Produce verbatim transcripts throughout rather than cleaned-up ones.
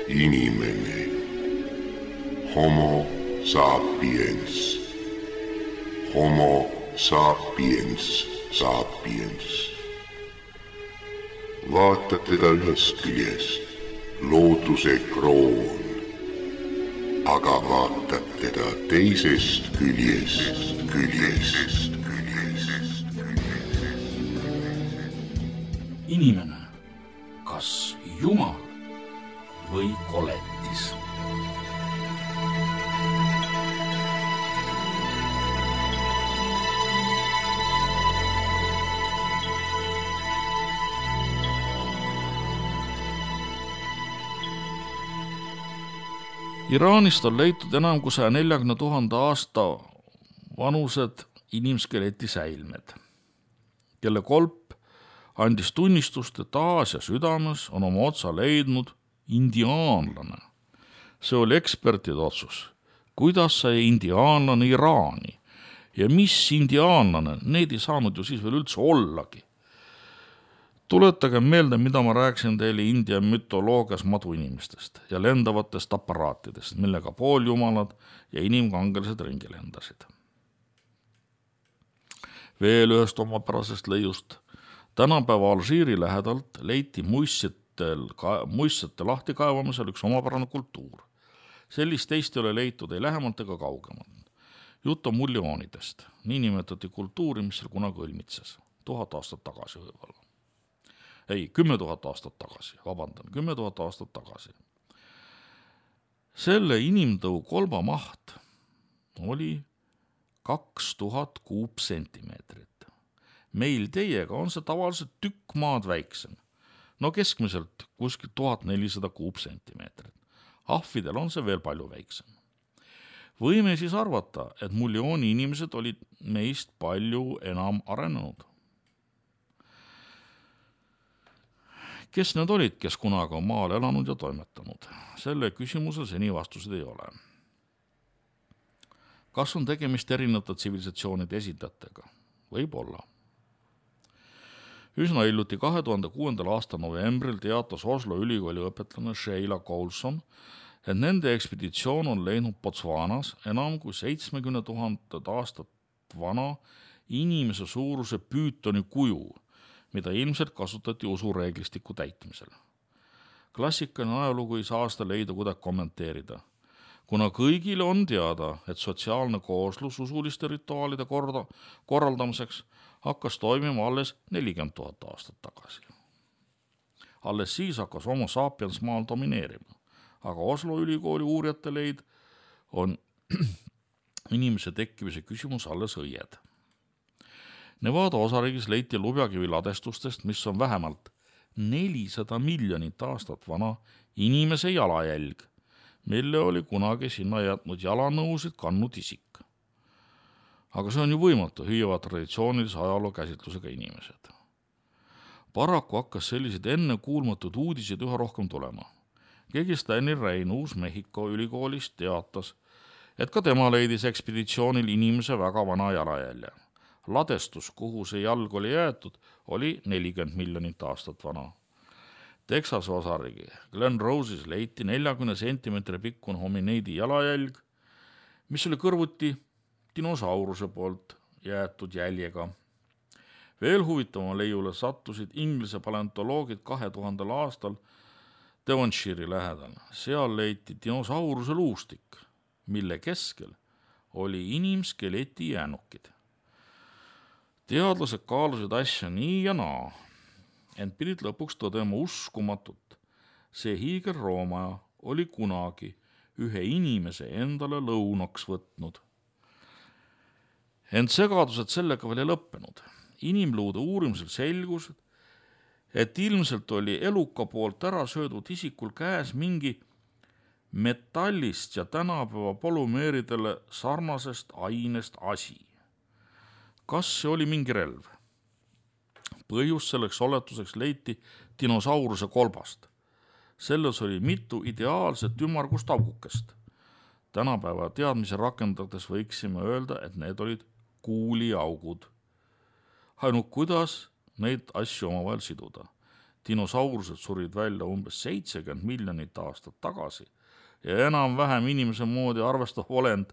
Inimene. Homo sapiens. Homo sapiens sapiens. Vaata teda ühest küljest, looduse kroon, aga vaatad teda teisest küljest, küljest, küljest. Inimene, kas Jumal või koletis? Iraanist on leitud enam kui saja neljakümne tuhande aasta vanused inimskeleti säilmed, kelle kolp andis tunnistust, et Aasia südames on oma otsa leidnud indiaanlane. See oli ekspertide otsus. Kuidas sai indiaanlane Iraani ja mis indiaanlane, need ei saanud ju siis veel üldse ollagi. Tuletage meelde, mida ma rääkisin teile India mütoloogias maduinimestest ja lendavatest aparaatidest, millega pooljumalad ja inimkangelised ringi lendasid. Veel ühest omapärasest leiust. Tänapäeva Alžiiri lähedalt leiti muistsetel, muistsete lahtikaevamisel üks omapärane kultuur. Sellist teist ei ole leitud ei lähemalt ega kaugemalt. Jutt on muljoonidest, nii nimetati kultuuri, mis seal kunagi õlmitses. Tuhat aastat tagasi võib-olla. Ei, kümme tuhat aastat tagasi, vabandan, kümme tuhat aastat tagasi. Selle inimtõu kolba maht oli kaks tuhat kuupsentimeetrit. Meil teiega on see tavaliselt tükk maad väiksem. No keskmiselt kuskil tuhat nelisada kuupsentimeetrit. Ahvidel on see veel palju väiksem. Võime siis arvata, et muljooni inimesed olid meist palju enam arenenud. Kes need olid, kes kunagi on maal elanud ja toimetanud? Selle küsimuse seni vastused ei ole. Kas on tegemist erinevate tsivilisatsioonide esindajatega? Võib olla. Üsna hiljuti kahe tuhande kuuendal aasta novembril teatas Oslo ülikooli õpetlane Sheila Coulson, et nende ekspeditsioon on leidnud Botswanas enam kui seitsmekümne tuhandet aastat vana inimese suuruse püütoni kuju, mida ilmselt kasutati usureeglistiku täitmisel. Klassikaline ajalugu ei saa seda leida kuidagi kommenteerida, kuna kõigile on teada, et sotsiaalne kooslus usuliste rituaalide korda, korraldamiseks hakkas toimima alles nelikümmend tuhat aastat tagasi. Alles siis hakkas homo sapiens maal domineerima, aga Oslo ülikooli uurijate leid on inimese tekkimise küsimus alles õied. Nevada osariigis leiti lubjakivi ladestustest, mis on vähemalt nelisada miljonit aastat vana inimese jalajälg, mille oli kunagi sinna jätnud jalanõusid kannud isik. Aga see on ju võimatu, hüüavad traditsioonilise ajaloo käsitlusega inimesed. Paraku hakkas sellised enne kuulmatud uudised üha rohkem tulema. Keegi Stanley Rein Uus-Mehhiko ülikoolist teatas, et ka tema leidis ekspeditsioonil inimese väga vana jalajälje. Ladestus, kuhu see jalg oli jäetud, oli nelikümmend miljonit aastat vana. Texas osariigi Glen Rose'is leiti neljakümne sentimeetri pikkune homineidi jalajälg, mis oli kõrvuti dinosauruse poolt jäetud jäljega. Veel huvitavama leiule sattusid Inglise paleontoloogid kahe tuhandel aastal Devonshire lähedal. Seal leiti dinosauruse luustik, mille keskel oli inimskeleti jäänukid. Teadlased kaalusid asja nii ja naa, ent pidid lõpuks tõdema uskumatut. See hiigelroomaja oli kunagi ühe inimese endale lõunaks võtnud. Ent segadused sellega veel ei lõppenud. Inimluude uurimisel selgus, et ilmselt oli eluka poolt ära söödud isikul käes mingi metallist ja tänapäeva polümeeridele sarnasest ainest asi. Kas see oli mingi relv? Põhjus selleks oletuseks leiti dinosauruse kolbast. Selles oli mitu ideaalset ümmargust augukest. Tänapäeva teadmise rakendades võiksime öelda, et need olid kuuliaugud. Ainult kuidas neid asju omavahel siduda. dinosaurused surid välja umbes seitsekümmend miljonit aastat tagasi ja enam-vähem inimese moodi arvestav olend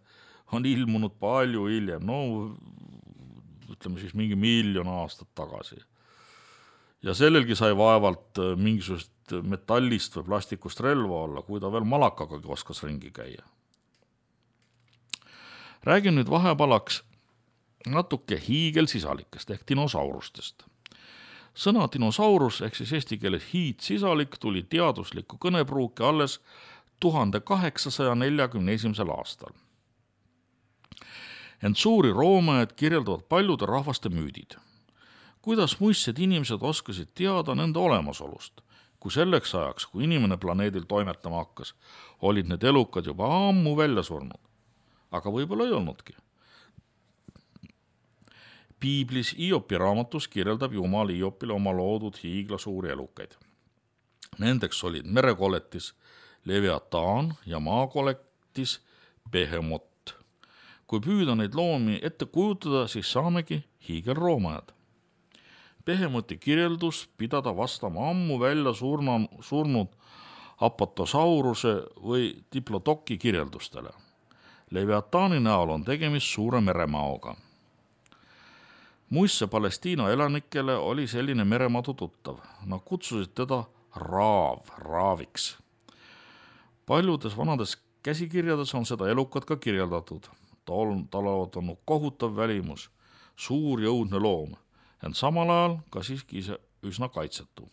on ilmunud palju hiljem, no ütleme siis mingi miljon aastat tagasi. Ja sellelgi sai vaevalt mingisugust metallist või plastikust relva olla, kui ta veel malakaga oskas ringi käia. Räägin nüüd vahepalaks natuke hiigelsisalikest ehk dinosaurustest. Sõna dinosaurus ehk siis eesti keeles hiidsisalik tuli teaduslikku kõnepruuki alles tuhande kaheksasaja neljakümne esimesel aastal. Ent suuri roomajad kirjeldavad paljude rahvaste müüdid. Kuidas muistsed inimesed oskasid teada nende olemasolust, kui selleks ajaks, kui inimene planeedil toimetama hakkas, olid need elukad juba ammu välja surnud. Aga võib-olla ei olnudki. Piiblis Iopi raamatus kirjeldab Jumal Iopile oma loodud hiigla suuri elukaid. Nendeks olid merekoletis Leviataan ja maakoletis Behemot. Kui püüda neid loomi ette kujutada, siis saamegi hiigelroomajad. Behemoti kirjeldus pidada vastama ammu välja surna, surnud Apatosauruse või Diplodoki kirjeldustele. Leviataani näol on tegemist suure meremaoga. Muisse Palestiina elanikele oli selline meremadu tuttav. Nad kutsusid teda raav, raaviks. Paljudes vanades käsikirjades on seda elukat ka kirjeldatud. Tal on olnud kohutav välimus, suur jõudne loom, ent samal ajal ka siiski ise üsna kaitsetu.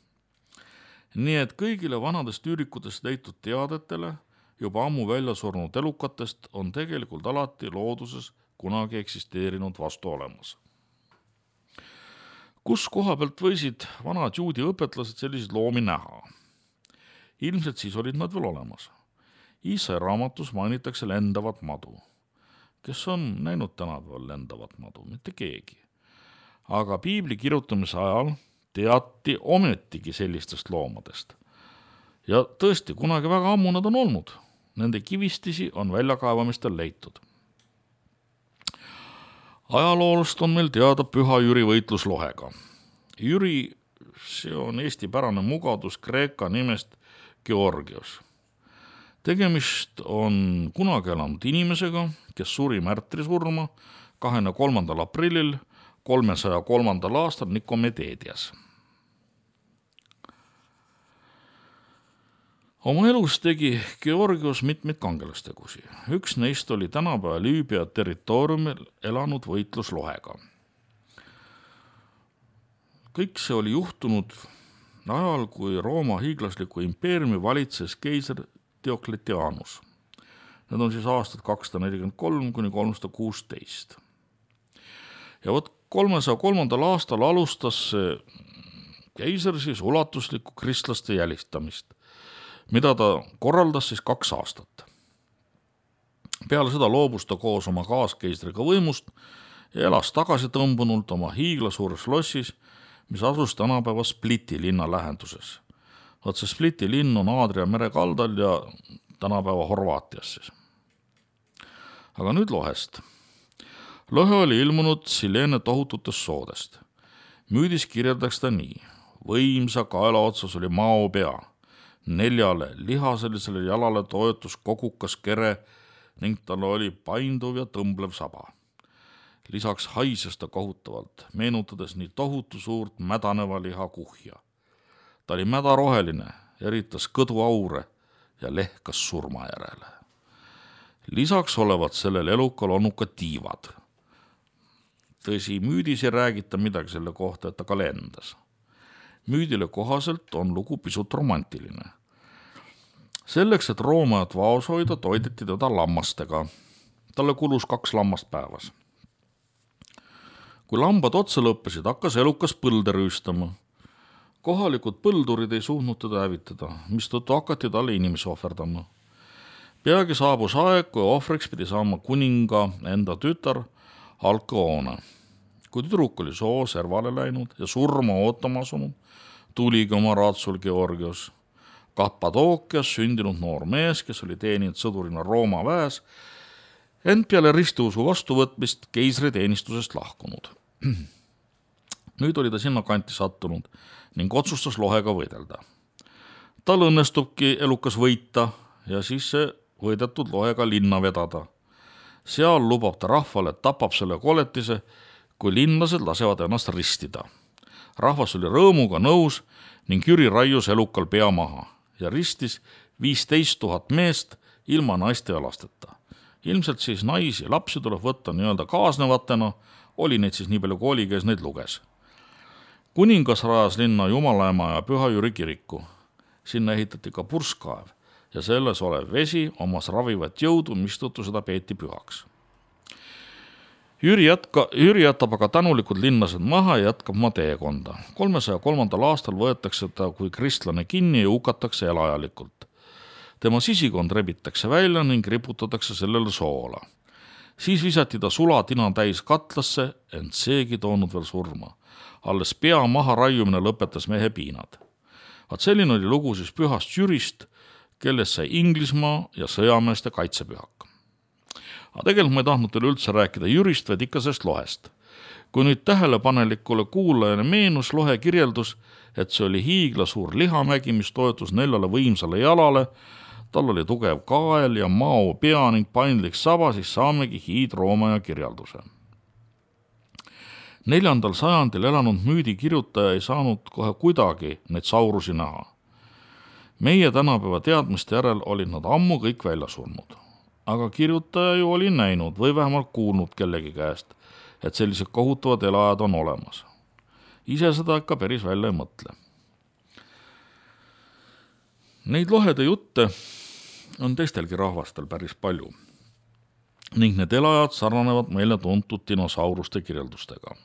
Nii et kõigile vanadest üürikutest leitud teadetele juba ammu välja surnud elukatest on tegelikult alati looduses kunagi eksisteerinud vastu olemas. Kus koha pealt võisid vanad juudi õpetlased selliseid loomi näha? Ilmselt siis olid nad veel olemas. Iisai raamatus mainitakse lendavat madu. Kes on näinud tänapäeval lendavat madu? Mitte keegi. Aga piibli kirjutamise ajal teati ometigi sellistest loomadest. Ja tõesti, kunagi väga ammu nad on olnud. Nende kivistisi on väljakaevamistel leitud. Ajaloolust on meil teada Püha Jüri võitlus lohega. Jüri, see on eesti pärane mugadus Kreeka nimest Georgios. Tegemist on kunagi elanud inimesega, kes suri märtrisurma kahekümne kolmandal aprillil kolmesaja kolmandal aastal Nikomedeedias. Oma elus tegi Georgios mitmeid kangelastegusi. Üks neist oli tänapäeva Lüübia territooriumil elanud võitlus lohega. Kõik see oli juhtunud ajal, kui Rooma hiiglasliku impeeriumi valitses keiser Diokletianus. Need on siis aastad kakssada nelikümmend kolm kuni kolmsada kuusteist. Ja võt kolmesaja kolmandal aastal alustas keiser siis ulatuslikku kristlaste jälistamist, mida ta korraldas siis kaks aastat. Peale seda loobus ta koos oma kaaskeistriga võimust ja elas tagasi tõmbunult oma hiigla suures lossis, mis asus tänapäeva Spliti linna lähenduses. Vaat see Spliti linn on Aadria mere kaldal ja tänapäeva Horvaatias siis. Aga nüüd lohest. Lohe oli ilmunud Sileene tohututest soodest. Müüdis kirjeldaks ta nii. Võimsa kaela otsas oli mao pea. Neljale lihaselisele jalale toetus kogukas kere ning tal oli painduv ja tõmblev saba. Lisaks haises ta kohutavalt, meenutades nii tohutu suurt mädaneva liha kuhja. Ta oli mädaroheline, eritas kõdu aure ja lehkas surma järele. Lisaks olevat sellel elukal olnud ka tiivad. Tõsi, müüdis ei räägita midagi selle kohta, et ta ka lendas. Müüdile kohaselt on lugu pisut romantiline. Selleks, et roomajat vaos hoida, toideti teda lammastega. Talle kulus kaks lammast päevas. Kui lambad otsa lõppesid, hakkas elukas põlde rüüstama. Kohalikud põldurid ei suutnud teda hävitada, mistõttu hakati talle inimesi ohverdama. Peagi saabus aeg, kui ohvriks pidi saama kuninga enda tütar Alkoone. Kui tüdruk oli soo servale läinud ja surma ootama asunud, tuligi oma raatsul Georgios. Kappadookias sündinud noor mees, kes oli teeninud sõdurina Rooma väes, ent peale ristiusu vastuvõtmist keisri teenistusest lahkunud. Nüüd oli ta sinna kanti sattunud ning otsustas lohega võidelda. Tal õnnestubki elukas võita ja siis see võidetud lohega linna vedada. Seal lubab ta rahvale, et tapab selle koletise, kui linlased lasevad ennast ristida. Rahvas oli rõõmuga nõus ning Jüri raius elukal pea maha ja ristis viisteist tuhat meest ilma naiste ja lasteta. Ilmselt siis naisi ja lapsi tuleb võtta nii-öelda kaasnevatena, oli neid siis nii palju kui oli, kes neid luges. Kuningas rajas linna Jumalaema ja Püha Jüri kiriku. Sinna ehitati ka purskkaev ja selles olev vesi omas ravivat jõudu, mistõttu seda peeti pühaks. Jüri, jätka, Jüri jätab aga tänulikud linnased maha ja jätkab oma teekonda. kolmesaja kolmandal aastal võetakse ta kui kristlane kinni ja hukatakse elajalikult. Tema sisikond rebitakse välja ning riputatakse sellele soola. Siis visati ta sulatina täis katlasse, ent seegi toonud veel surma. Alles pea maha raiumine lõpetas mehe piinad. Vaat selline oli lugu siis pühast Jürist, kellest sai Inglismaa ja sõjameeste kaitsepühak. Aga tegelikult ma ei tahtnud teile üldse rääkida Jürist, vaid ikka sellest lohest. Kui nüüd tähelepanelikule kuulajane meenus lohe kirjeldus, et see oli hiigla suur lihamägi, mis toetus neljale võimsale jalale, tal oli tugev kael ja mao pea ning paindlik saba, siis saamegi hiidroomaja kirjelduse. Neljandal sajandil elanud müüdi kirjutaja ei saanud kohe kuidagi neid saurusi näha. Meie tänapäeva teadmiste järel olid nad ammu kõik välja surnud. Aga kirjutaja ju oli näinud või vähemalt kuulnud kellegi käest, et sellised kohutavad elajad on olemas. Ise seda ikka päris välja ei mõtle. Neid lohede jutte on teistelgi rahvastel päris palju ning need elajad sarnanevad meile tuntud dinosauruste kirjeldustega.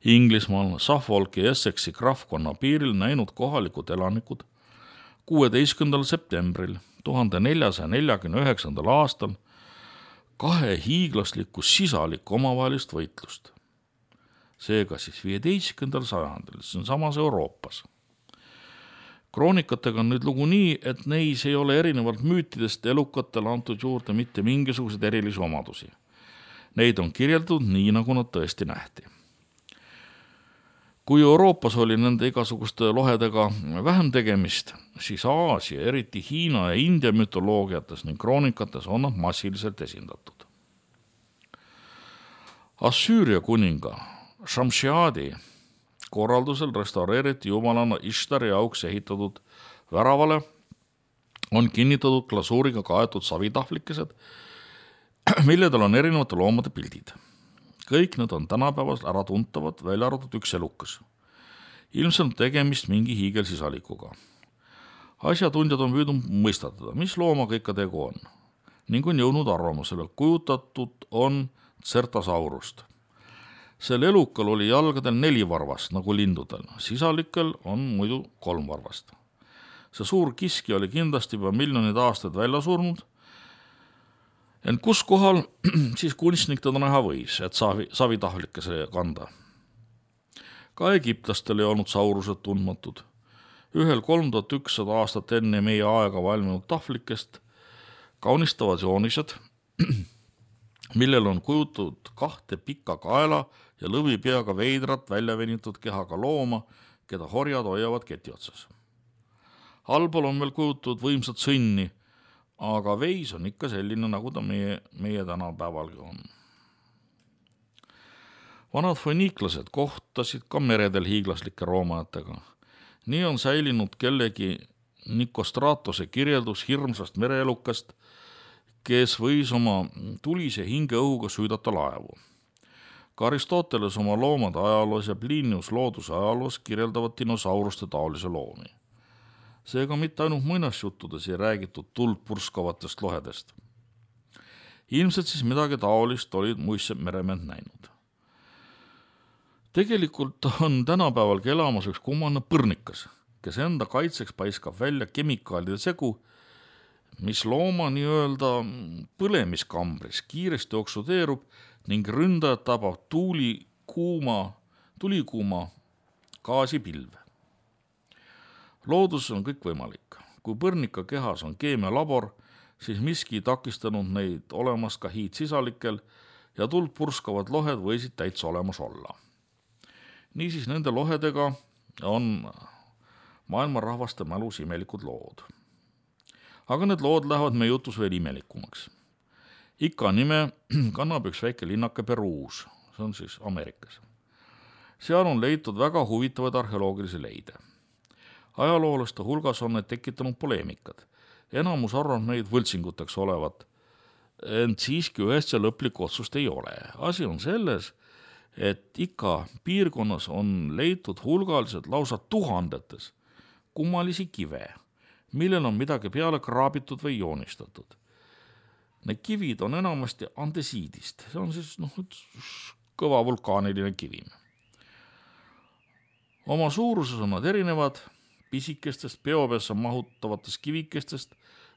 Inglismaal Suffolki ja Essexi krahvkonna piiril näinud kohalikud elanikud kuueteistkümnendal septembril tuhande neljasaja neljakümne üheksandal aastal kahe hiiglaslikku sisalikku omavahelist võitlust. Seega siis viieteistkümnendal sajandil, see on samas Euroopas. Kroonikatega on nüüd lugu nii, et neis ei ole erinevalt müütidest elukatele antud juurde mitte mingisuguseid erilisi omadusi. Neid on kirjeldatud nii, nagu nad tõesti nähti. Kui Euroopas oli nende igasuguste lohedega vähem tegemist, siis Aasia, eriti Hiina ja India mütoloogiates ning kroonikates on nad massiliselt esindatud. Assüüria kuninga Shamshiadi korraldusel restaureeriti jumalana Ishtari auks ehitatud väravale on kinnitatud glasuuriga kaetud savitahvlikesed, milledel on erinevate loomade pildid. Kõik need on tänapäevas ära tuntavad, välja arvatud üks elukas. Ilmselt tegemist mingi hiigelsisalikuga. Asjatundjad on püüdnud mõistatada, mis loomaga ikka tegu on, ning on jõudnud arvamusele, kujutatud on Certasaurust. Sel elukal oli jalgadel neli varvast, nagu lindudel, sisalikel on muidu kolm varvast. See suur kiski oli kindlasti juba miljonid aastaid välja surnud, ent kus kohal siis kunstnik teda näha võis, et savi, savitahvlikese kanda. Ka egiptlastel ei olnud saurused tundmatud. Ühel kolm tuhat ükssada aastat enne meie aega valminud tahvlikest kaunistavad joonised, millel on kujutud kahte pika kaela ja lõvipeaga veidrat väljavenitud kehaga looma, keda horjad hoiavad keti otsas. Allpool on veel kujutud võimsat sõnni, aga veis on ikka selline, nagu ta meie, meie tänapäevalgi on. Vanad foniiklased kohtasid ka meredel hiiglaslike roomajatega. Nii on säilinud kellegi Nikostratose kirjeldus hirmsast mereelukast, kes võis oma tulise hingeõhuga süüdata laevu. Ka Aristoteles oma loomade ajaloos ja Plinius looduse ajaloos kirjeldavad dinosauruste taolise loomi. Seega mitte ainult muinasjuttudes ei räägitud tuld purskavatest lohedest. Ilmselt siis midagi taolist olid muistsed meremehed näinud. Tegelikult on tänapäevalgi elamas üks kummaline põrnikas, kes enda kaitseks paiskab välja kemikaalide segu, mis looma nii-öelda põlemiskambris kiiresti oksudeerub ning ründajad tabab tuuli kuuma, tulikuuma gaasipilve. Loodus on kõik võimalik. Kui põrnika kehas on keemialabor, siis miski takistanud neid olemas ka hiidsisalikel ja tuld purskavad lohed võisid täitsa olemas olla. Niisiis nende lohedega on maailma rahvaste mälus imelikud lood. Aga need lood lähevad meie jutus veel imelikumaks. Ikka nime kannab üks väike linnake Peruus, see on siis Ameerikas. Seal on leitud väga huvitavaid arheoloogilisi leide. Ajaloolaste hulgas on need tekitanud poleemikad. Enamus arvab neid võltsinguteks olevat, ent siiski ühest ja lõplik otsust ei ole. Asi on selles, et ikka piirkonnas on leitud hulgaliselt lausa tuhandetes kummalisi kive, millel on midagi peale kraabitud või joonistatud. Need kivid on enamasti andesiidist, see on siis noh, kõva vulkaaniline kivim. Oma suuruses on nad erinevad pisikestest peopessa mahutavatest kivikestest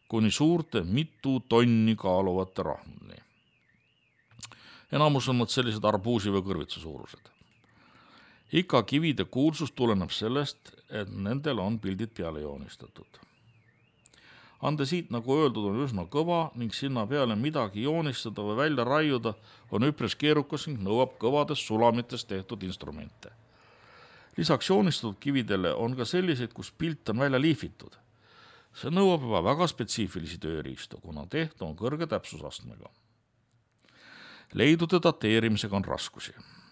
kuni suurte mitu tonni kaaluvate rahmuni. Enamus on nad sellised arbuusi või kõrvitsa suurused. Ikka kivide kuulsus tuleneb sellest, et nendel on pildid peale joonistatud. Andesiit, nagu öeldud, on üsna kõva ning sinna peale midagi joonistada või välja raiuda on üpris keerukas ning nõuab kõvadest sulamitest tehtud instrumente. Lisaks joonistatud kividele on ka selliseid, kus pilt on välja liifitud. See nõuab juba väga spetsiifilisi tööriistu, kuna tehtu on kõrge täpsusastmega. Leidude dateerimisega on raskusi.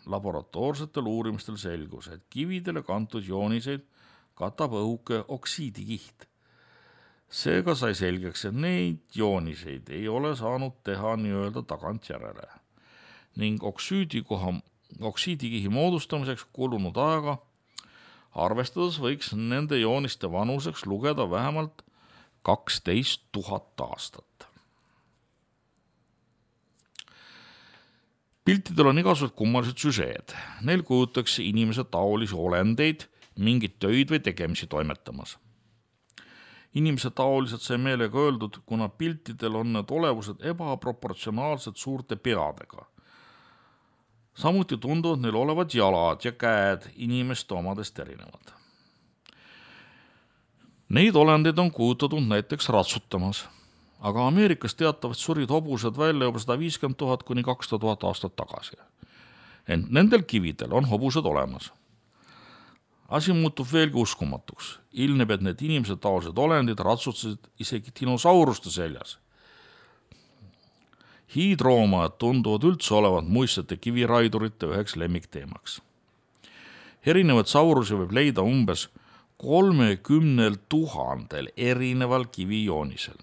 Laboratoorsetel uurimistel selgus, et kividele kantud jooniseid katab õhuke oksiidikiht. Seega sai selgeks, et neid jooniseid ei ole saanud teha nii-öelda tagantjärele ning oksiidikoha, oksiidikihi moodustamiseks kulunud aega arvestades võiks nende jooniste vanuseks lugeda vähemalt kaksteist tuhat aastat. Piltidel on igasugused kummalised süžeed. Neil kujutakse inimese taolisi olendeid mingit töid või tegemisi toimetamas. Inimese taoliselt sai meelega öeldud, kuna piltidel on need olevused ebaproportsionaalselt suurte peadega. Samuti tunduvad neil olevad jalad ja käed inimeste omadest erinevad. Neid olendeid on kujutatud näiteks ratsutamas, aga Ameerikas teatavad surid hobused välja juba sada viiskümmend tuhat kuni kakssada tuhat aastat tagasi. Ent nendel kividel on hobused olemas. Asi muutub veelgi uskumatuks. Ilmneb, et need inimese taolised olendid ratsutasid isegi dinosauruste seljas. Hiidroomad tunduvad üldse olevat muistsete kiviraidurite üheks lemmikteemaks. Erinevad saurusi võib leida umbes kolmekümnel tuhandel erineval kivijoonisel.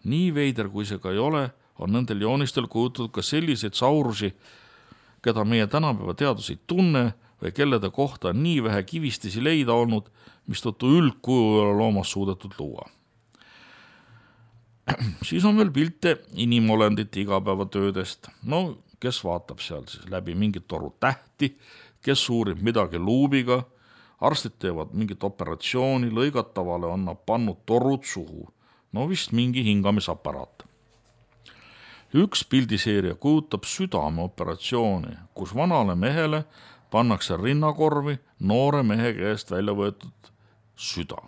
Nii veider kui see ka ei ole, on nendel joonistel kujutatud ka selliseid saurusi, keda meie tänapäeva teadus ei tunne või kellede kohta on nii vähe kivistisi leida olnud, mistõttu üldkuju loomas suudetud luua. Siis on veel pilte inimolendite igapäevatöödest. No, kes vaatab seal siis läbi mingit toru tähti, kes uurib midagi luubiga, arstid teevad mingit operatsiooni, lõigatavale on nad pannud torud suhu. No vist mingi hingamisaparaat. Üks pildiseeria kujutab südameoperatsiooni, kus vanale mehele pannakse rinnakorvi noore mehe käest välja võetud süda.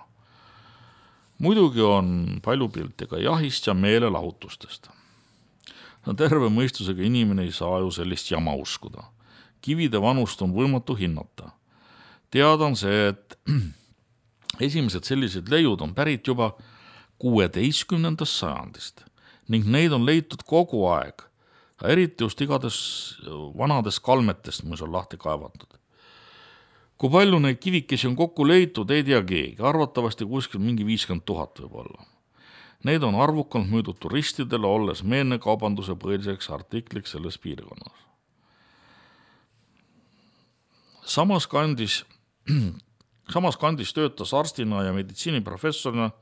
Muidugi on palju pilte ka jahist ja meelelahutustest. Terve mõistusega inimene ei saa ju sellist jama uskuda. Kivide vanust on võimatu hinnata. Teada on see, et esimesed sellised leiud on pärit juba kuueteistkümnendast sajandist ning neid on leitud kogu aeg, eriti just igades vanadest kalmetest, mis on lahti kaevatud. Kui palju neid kivikesi on kokku leitud, ei tea keegi, arvatavasti kuskil mingi viiskümmend tuhat võib olla. Neid on arvukalt müüdud turistidele, olles meenekaubanduse põhiliseks artikliks selles piirkonnas. Samas kandis, samas kandis töötas arstina ja meditsiiniprofessorina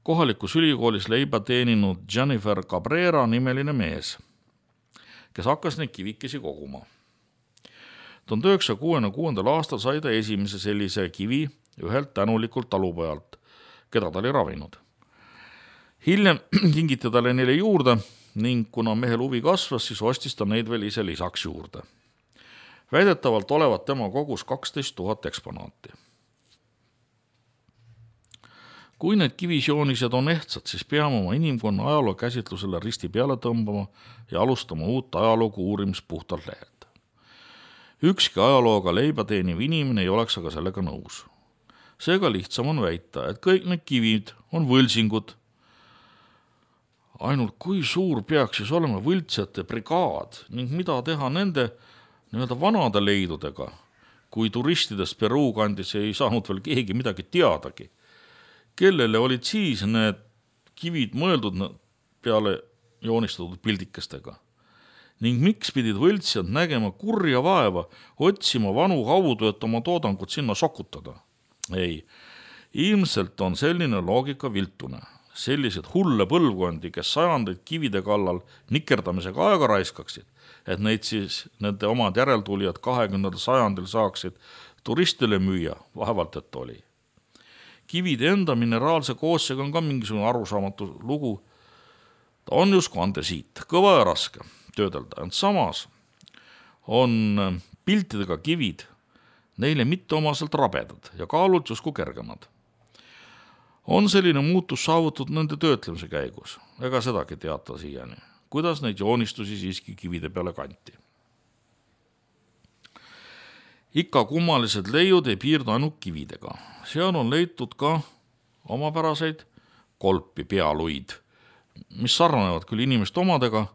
kohalikus ülikoolis leiba teeninud Jennifer Cabrera nimeline mees, kes hakkas neid kivikesi koguma. tuhande üheksasaja kuuekümne kuuendal aastal sai ta esimese sellise kivi ühelt tänulikult talupojalt, keda ta oli ravinud. Hiljem kingiti talle neile juurde ning kuna mehel huvi kasvas, siis ostis ta neid veel ise lisaks juurde. Väidetavalt olevat tema kogus kaksteist tuhat eksponaati. Kui need kivisjoonised on ehtsad, siis peame oma inimkonna ajaloo käsitlusele risti peale tõmbama ja alustama uut ajaloogu uurimist puhtalt lehelt. Ükski ajalooga leiba teeniv inimene ei oleks aga sellega nõus. Seega lihtsam on väita, et kõik need kivid on võlsingud. Ainult kui suur peaks siis olema võltsjate brigaad ning mida teha nende nii-öelda vanade leidudega, kui turistidest Peruu kandis ei saanud veel keegi midagi teadagi. Kellele olid siis need kivid mõeldud peale joonistatud pildikestega? Ning miks pidid võltsjad nägema kurja vaeva, otsima vanu haudu, et oma toodangut sinna sokutada? Ei, ilmselt on selline loogika viltune. Sellised hulle põlvkondi, kes sajandeid kivide kallal nikerdamisega aega raiskaksid, et neid siis nende omad järeltulijad kahekümnendal sajandil saaksid turistile müüa, vaevalt et oli. Kivide enda mineraalse koosseega on ka mingisugune arusaamatu lugu. Ta on justkui andesiit, kõva ja raske töödelda, ent samas on piltidega kivid neile mitte omaselt rabedad ja kaalult justkui kergemad. On selline muutus saavutatud nende töötlemise käigus, ega sedagi teata siiani, kuidas neid joonistusi siiski kivide peale kanti. Ikka kummalised leiud ei piirdu ainult kividega. Seal on leitud ka omapäraseid kolpi pealuid, mis sarnanevad küll inimeste omadega,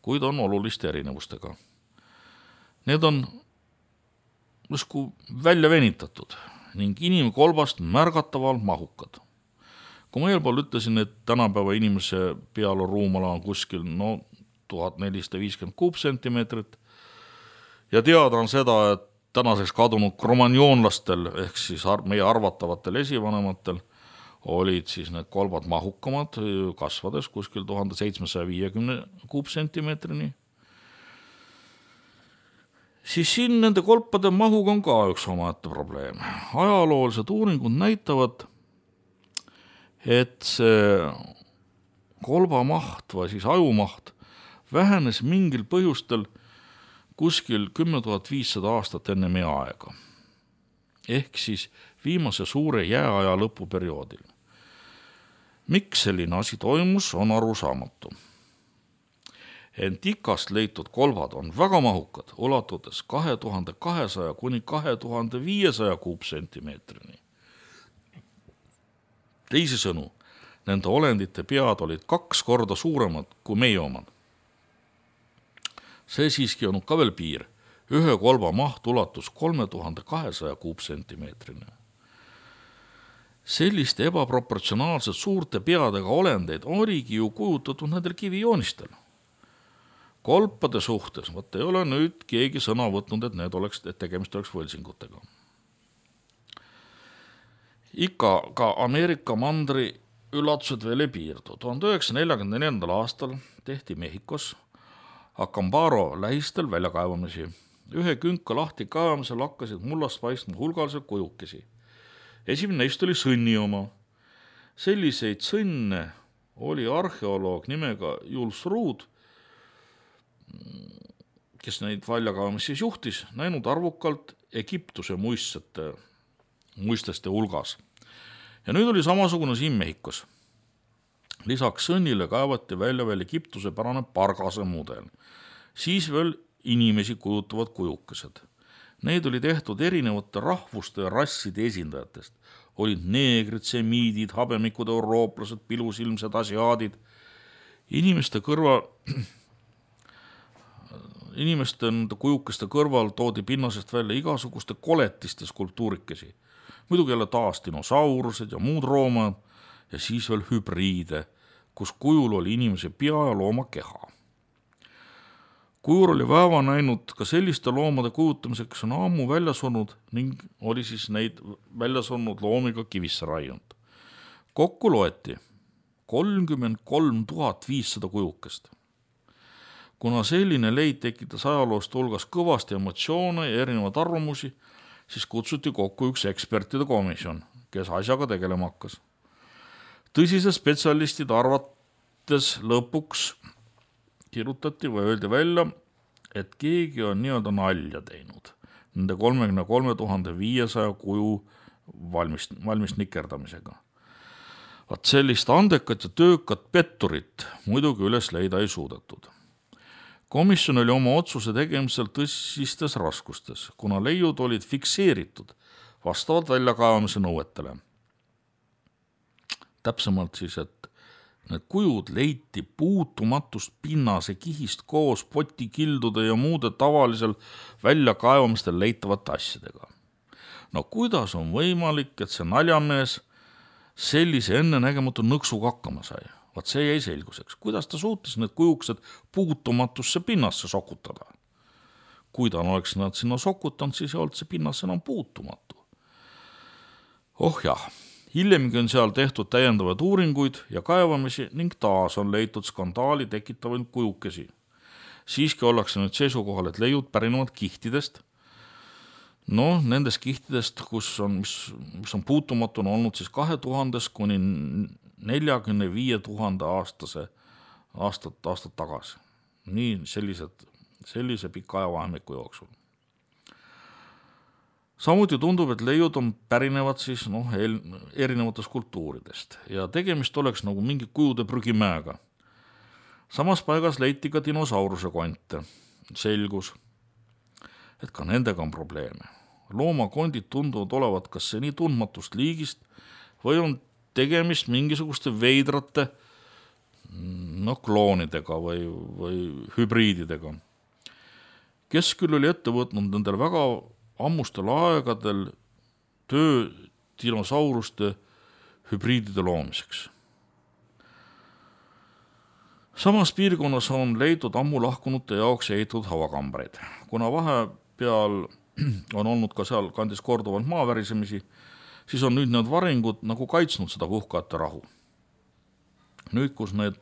kuid on oluliste erinevustega. Need on justkui välja venitatud ning inimkolbast märgataval mahukad. Kui ma eelpool ütlesin, et tänapäeva inimese pealo ruumala on kuskil no, tuhat nelisada viiskümmend kuupsentimeetrit ja teada on seda, et tänaseks kadunud kromanjoonlastel ehk siis meie arvatavatel esivanematel olid siis need kolbad mahukamad, kasvades kuskil tuhat seitsmesaja viiekümne kuupsentimeetrini. Siis siin nende kolpade mahuga on ka üks omaette probleem. Ajaloolised uuringud näitavad, et see kolbamaht või siis ajumaht vähenes mingil põhjustel kuskil kümme tuhat viissada aastat enne meie aega. Ehk siis viimase suure jääaja lõpuperioodil. Miks selline asi toimus, on arusaamatu. Ent ikast leitud kolbad on väga mahukad, ulatudes kahe tuhande kahesaja kuni kahe tuhande viiesaja kuupsentimeetrini. Teisi sõnu, nende olendite pead olid kaks korda suuremad kui meie omad. See siiski on ka veel piir. Ühe kolba maht ulatus kolme tuhande kahesaja kuupsentimeetrini. Selliste ebaproportsionaalselt suurte peadega olendeid oligi ju kujutatud nendel kivijoonistel. Kolpade suhtes, võtta ei ole nüüd keegi sõna võtnud, et need oleks, et tegemist oleks võlsingutega. Ikka ka Ameerika mandri üllatused veel ei piirdu. tuhande üheksasaja neljakümne neljandal aastal tehti Mehhikos Acambaro lähistel väljakaevamisi. Ühe künka lahti kaevamisel hakkasid mullast paistma hulgaliselt kujukesi. Esimene neist oli sõnni oma. Selliseid sõnne oli arheoloog nimega Jules Ruud, kes neid väljakaevamisi juhtis, näinud arvukalt Egiptuse muistete, muisteste hulgas. Ja nüüd oli samasugune siin Mehhikos. Lisaks sõnnile kaevati välja veel Egiptuse pärane pargase mudel. Siis veel inimesi kujutavad kujukesed. Need oli tehtud erinevate rahvuste ja rasside esindajatest. Olid neegrid, semiidid, habemikud, eurooplased, pilusilmsed, asiaadid. Inimeste kõrval, inimeste kujukeste kõrval toodi pinnasest välja igasuguste koletiste skulptuurikesi. Muidugi jälle taas dinosaurused ja muud roomad ja siis veel hübriide, kus kujul oli inimese pea ja looma keha. Kujur oli vaeva näinud ka selliste loomade kujutamiseks, kes on ammu välja surnud ning oli siis neid välja surnud loomiga kivisse raiunud. Kokku loeti kolmkümmend kolm tuhat viissada kujukest. Kuna selline leid tekitas ajaloost hulgas kõvasti emotsioone ja erinevad arvamusi, siis kutsuti kokku üks ekspertide komisjon, kes asjaga tegelema hakkas. Tõsise spetsialistid arvates lõpuks kirjutati või öeldi välja, et keegi on nii-öelda nalja teinud nende kolmekümne kolme tuhande viiesaja kuju valmis, valmis nikerdamisega. Vaat sellist andekat ja töökat petturit muidugi üles leida ei suudetud. Komisjon oli oma otsuse tegemisel tõsistes raskustes, kuna leiud olid fikseeritud vastavalt väljakaevamise nõuetele. Täpsemalt siis, et need kujud leiti puutumatust pinnase kihist koos potikildude ja muude tavalisel väljakaevamistel leitavate asjadega. No kuidas on võimalik, et see naljamees sellise ennenägematu nõksuga hakkama sai? Vaat see jäi selguseks. Kuidas ta suutis need kujuksed puutumatusse pinnasse sokutada? Kui ta oleks nad sinna sokutanud, siis ei olnud see pinnas enam puutumatu. Oh jah, hiljemgi on seal tehtud täiendavaid uuringuid ja kaevamisi ning taas on leitud skandaali tekitavaid kujukesi. Siiski ollakse nüüd seisukohal, et leiud pärinevad kihtidest. No, nendest kihtidest, kus on, mis, mis on puutumatu, on olnud siis kahe tuhandes kuni neljakümne viie tuhande aastase aastat, aastat tagasi. Nii sellised, sellise pika ajavahemiku jooksul. Samuti tundub, et leiud on pärinevad siis noh, erinevatest kultuuridest ja tegemist oleks nagu mingi kujude prügimäega. Samas paigas leiti ka dinosauruse konte. Selgus, et ka nendega on probleeme. Loomakondid tunduvad olevat kas see nii tundmatust liigist või on tegemist mingisuguste veidrate no, kloonidega või, või hübriididega. Kes küll oli ette võtnud nendel väga ammustel aegadel töö dinosauruste hübriidide loomiseks. Samas piirkonnas on leidnud ammu lahkunute jaoks ehitatud havakambreid. Kuna vahepeal on olnud ka seal kandis korduvalt maavärisemisi, siis on nüüd need varingud nagu kaitsnud seda puhkajate rahu. Nüüd, kus need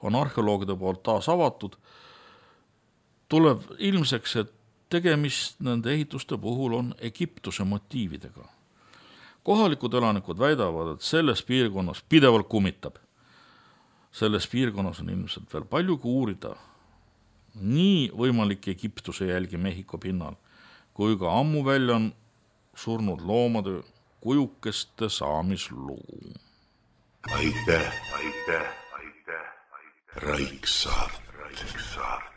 on arheoloogide poolt taas avatud, tuleb ilmseks, et tegemist nende ehituste puhul on Egiptuse motiividega. Kohalikud elanikud väidavad, et selles piirkonnas pidevalt kummitab. Selles piirkonnas on ilmselt veel palju uurida nii võimalik Egiptuse jälgi Mehhiko pinnal, kui ka ammu välja on surnud loomade kujukeste saamisluu. Aitäh, aitäh, aitäh, aitäh. Raiksaart. Raiksaart.